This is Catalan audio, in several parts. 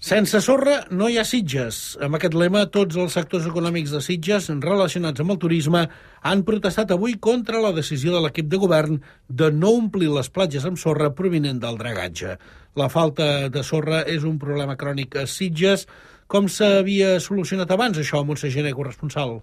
Sense sorra no hi ha Sitges. Amb aquest lema, tots els sectors econòmics de Sitges relacionats amb el turisme han protestat avui contra la decisió de l'equip de govern de no omplir les platges amb sorra provinent del dragatge. La falta de sorra és un problema crònic a Sitges. Com s'havia solucionat abans això, Montse Gené, corresponsal?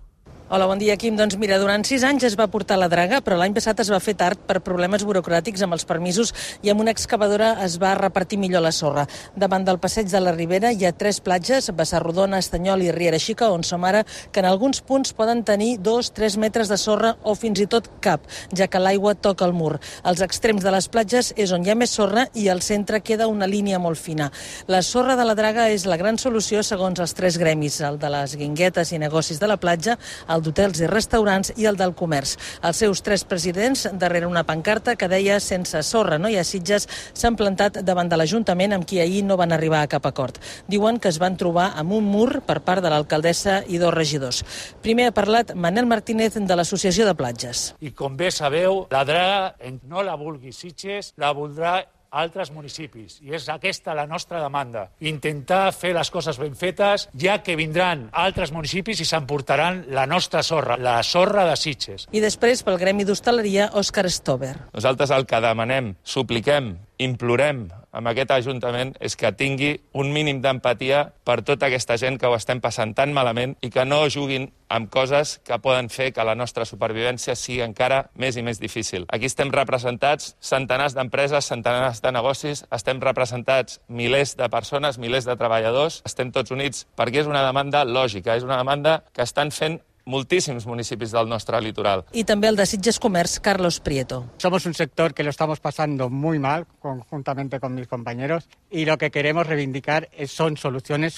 Hola, bon dia, Quim. Doncs mira, durant 6 anys es va portar la draga, però l'any passat es va fer tard per problemes burocràtics amb els permisos i amb una excavadora es va repartir millor la sorra. Davant del passeig de la Ribera hi ha 3 platges, Bassarrodona, Estanyol i Riera Xica, on som ara, que en alguns punts poden tenir 2-3 metres de sorra o fins i tot cap, ja que l'aigua toca el mur. Als extrems de les platges és on hi ha més sorra i al centre queda una línia molt fina. La sorra de la draga és la gran solució segons els 3 gremis, el de les guinguetes i negocis de la platja, el d'hotels i restaurants i el del comerç. Els seus 3 presidents, darrere una pancarta que deia «Sense sorra no hi ha Sitges», s'han plantat davant de l'Ajuntament amb qui ahir no van arribar a cap acord. Diuen que es van trobar amb un mur per part de l'alcaldessa i 2 regidors. Primer ha parlat Manel Martínez de l'Associació de Platges. I com bé sabeu, la draga no la vulgui Sitges, la voldrà altres municipis. I és aquesta la nostra demanda. Intentar fer les coses ben fetes, ja que vindran altres municipis i s'emportaran la nostra sorra, la sorra de Sitges. I després, pel Gremi d'Hostaleria, Òscar Stover. Nosaltres el que demanem, supliquem, implorem amb aquest Ajuntament és que tingui un mínim d'empatia per tota aquesta gent que ho estem passant tan malament i que no juguin amb coses que poden fer que la nostra supervivència sigui encara més i més difícil. Aquí estem representats centenars d'empreses, centenars de negocis, estem representats milers de persones, milers de treballadors, estem tots units perquè és una demanda lògica, és una demanda que estan fent moltíssims municipis del nostre litoral. Y también el de Sitges Comerç, Carlos Prieto. Somos un sector que lo estamos pasando muy mal, conjuntamente con mis compañeros, y lo que queremos reivindicar son soluciones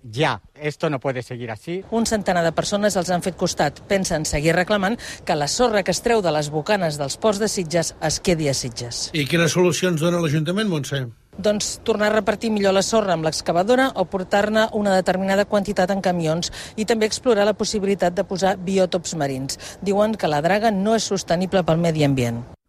ya. Esto no puede seguir así. Un centenar de persones els han fet costat. Pensen seguir reclamant que la sorra que es treu de les bocanes dels ports de Sitges es quedi a Sitges. I quines solucions dona l'Ajuntament, Montse? Doncs tornar a repartir millor la sorra amb l'excavadora o portar-ne una determinada quantitat en camions i també explorar la possibilitat de posar biòtops marins. Diuen que la draga no és sostenible pel medi ambient.